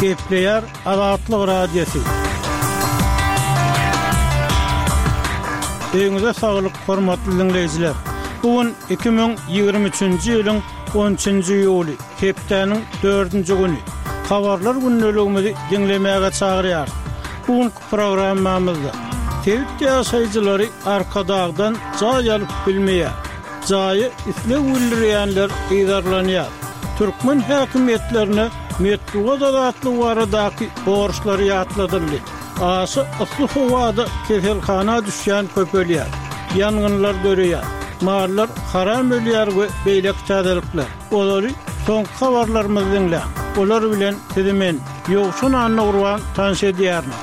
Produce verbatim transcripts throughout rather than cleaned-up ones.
Gepleýär Azatlyk Radiosy. Öýüňize saglyk, hormatly diňleýjiler. Bu gün iki müň ýigrimi üçünji ýylyň on üçünji iýuly, hepdäniň dördünji güni. Habarlar gündeligimizi diňlemäge çagyrýarys. Bu günki programmamyzda sebit ýaşaýjylary Arkadagdan jaý alyp bilmeýär. Jaýa isleg bildirýänler yzarlanýar. Türkmen häkimiýetlerine metbugat azatlygy baradaky borçlary ýatladyldy. Aşa yssy howada keselhana düşýän köpelýär. Ýangynlar döreýär. Mallar haram ölýär we beýleki täzelikler. Olary soňky habarlarymyzy diňläň. Olar bilen sizi men, Ýowşan Annagurban tanyş edýärin.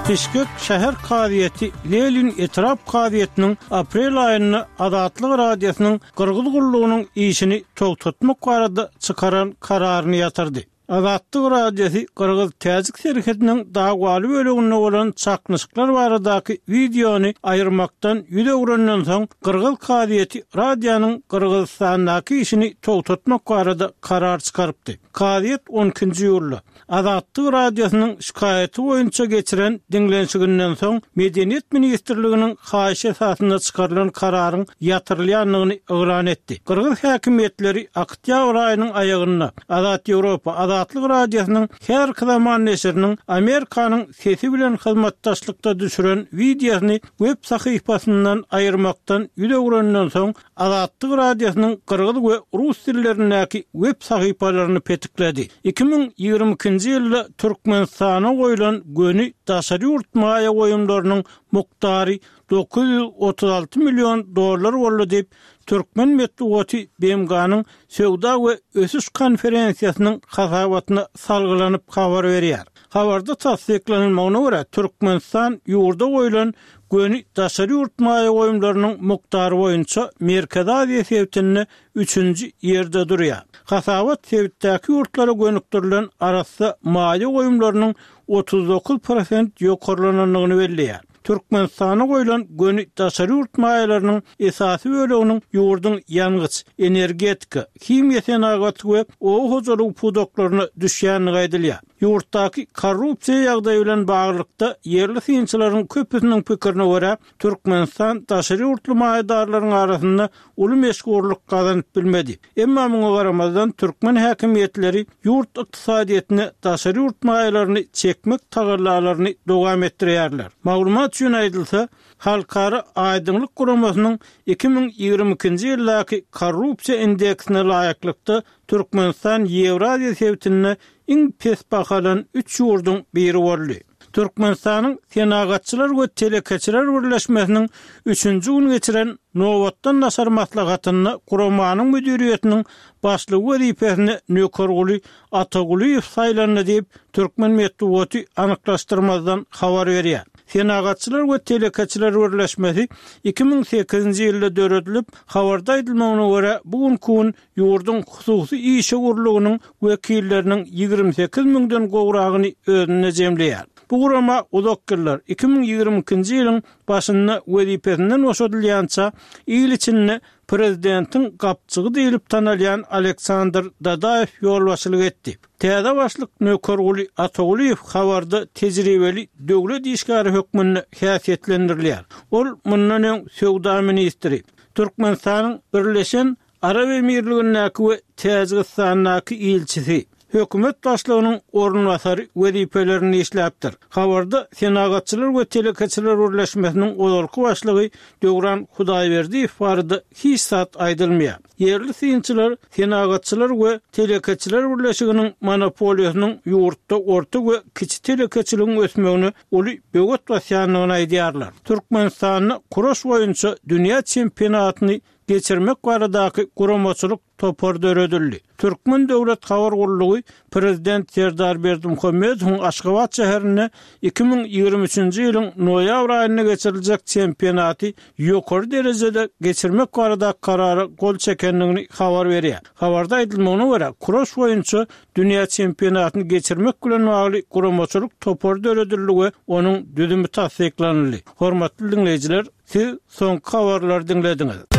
Bişkek şäher kazyýeti Lenin etrap kazyýetiniň aprel aýynda Azatlyk Radiosynyň Gyrgyz gullugynyň işini togtatmak barada çykaran kararyny ýatyrdy. Azatlyk Radiosy gyrgyz-täjik serhediniň dagwaly böleginde bolan çaknyşyklar baradaky wideony aýyrmakdan ýüz öwrenden soň, gyrgyz kazyýeti radionyň Gyrgyzystandaky işini togtatmak barada karar çykarypdy. Kazyýet on ikinji iýulda Azatlyk Radiosynyň şikaýaty boýunça geçiren diňlenişiginden soň, Medeniýet ministrliginiň haýyşy esasynda çykarylan kararyň ýatyrylýandygyny yglan etdi. Gyrgyz häkimiýetleri oktýabr aýynyň aýagynda Azat Ýewropa Azatlyk Radiosynyň häzirki zaman neşiriniň Amerikanyň sesi bilen hyzmatdaşlykda düşüren wideosyny web sahypasyndan aýyrmakdan ýüz öwrenden soň, Azatlyk Radiosynyň gyrgyz we rus dillerindäki web sahypalaryny petikledi. Iki müň ýigrimi ikinji ýylda Türkmenistana goýlan göni daşary ýurt maýa goýumlarynyň mukdary dokuz ýüz otuz alty million dollar boldy diýip, türkmen metbugaty B M G-nyň Söwda we ösüş konferensiýasynyň hasabatyna salgylanyp habar berýär. Habarda tassyklanylmagyna görä, Türkmenistan ýurda goýlan göni daşary ýurt maýa goýumlarynyň mukdary boýunça Merkezi Aziýa sebitinde üçünji ýerde durýar. Hasabat sebitdäki ýurtlara gönükdirilen arassa maýa goýumlarynyň otuz dokuz prosent ýokarlanandygyny belleýär. Türkmenistana goýlan göni daşary ýurt maýalarynyň esasy böleginiň ýurduň ýangyç, energetika, himiýa senagaty we oba hojalygy pudaklaryna düşýändigi aýdylýar. Ýurtdaky korrupsiýa ýagdaýy bilen baglylykda ýerli synçylaryň köpüsiniň pikirine görä, Türkmenistan daşary ýurtly maýadarlaryň arasynda uly meşhurlyk gazanyp bilmedi. Emma muňa garamazdan türkmen häkimiýetleri ýurt ykdysadyýetine daşary ýurt maýalaryny çekmek tagallalaryny dowam etdirýärler. Maglumat üçin aýdylsa, Halkara Aýdyňlyk guramasynyň iki müň ýigrimi ikinji ýyldaky korrupsiýa indeksine laýyklykda Türkmenistan Ýewraziýa sebitinde iň pes bahalan üç ýurduň biri boldy. Türkmenistanyň Senagatçylar we telekeçiler birleşmesiniň üçünji gün geçiren nobatdan daşary maslahatynda guramanyň müdiriýetiniň başlygy wezipesine Nökerguly Atagulyýew saýlandy diýip, türkmen metbugaty anyklaşdyrmazdan habar berýär. Senagatçylar we telekeçiler birleşmesi iki müň sekizinji ýylda döredilip, habarda aýdylmagyna görä, bu günki gün ýurduň hususy işewürliginiň wekilleriniň ýigrimi sekiz müňden gowragyny özünde jemleýär. Bu gurama uzak ýyllar, iki müň ýigrimi ikinji ýylyň başynda wezipesinden boşadylýança il içinde prezidentiň gapjygy diýlip tanalýan Aleksandr Dadaýew ýolbaşçylyk etdi. Täze başlyk Nökerguly Atagulyýew habarda tejribeli döwlet işgäri hökmünde häsiýetlendirilýär. Ol mundan öň söwda ministri, Türkmenistanyň Birleşen Arap Emirligindäki we Täjigistandaky ilçisi, hökümet başlygynyň orunbasary wezipelerini işläpdir. Habarda Senagatçylar we telekeçiler birleşmesiniň ozalky başlygy Döwran Hudaýberdiýew barada hiç zat aýdylmaýar. Ýerli synçylar Senagatçylar we telekeçiler birleşiginiň monopoliýasynyň ýurtda orta we kiçi telekeçiligiň ösmegine uly böwet basýandygyny aýdýarlar. Türkmenistanda kuraş boýunça dünýä çempionatyny geçirmek baradaky guramaçylyk topar döredildi. Türkmen döwlet habar gullugy Prezident Serdar Berdimuhamedowyň Aşgabat şäherinde iki müň ýigrimi üçünji ýylyň noýabr aýynda geçiriljek çempionaty ýokary derejede geçirmek baradaky karara gol çekendigini habar berýär. Habarda aýdylmagyna görä, kuraş boýunça dünýä çempionatyny geçirmek bilen bagly guramaçylyk topary döredildi we onuň düzümi tassyklanyldy. Hormatly diňleýjiler, siz soňky habarlary diňlediňiz.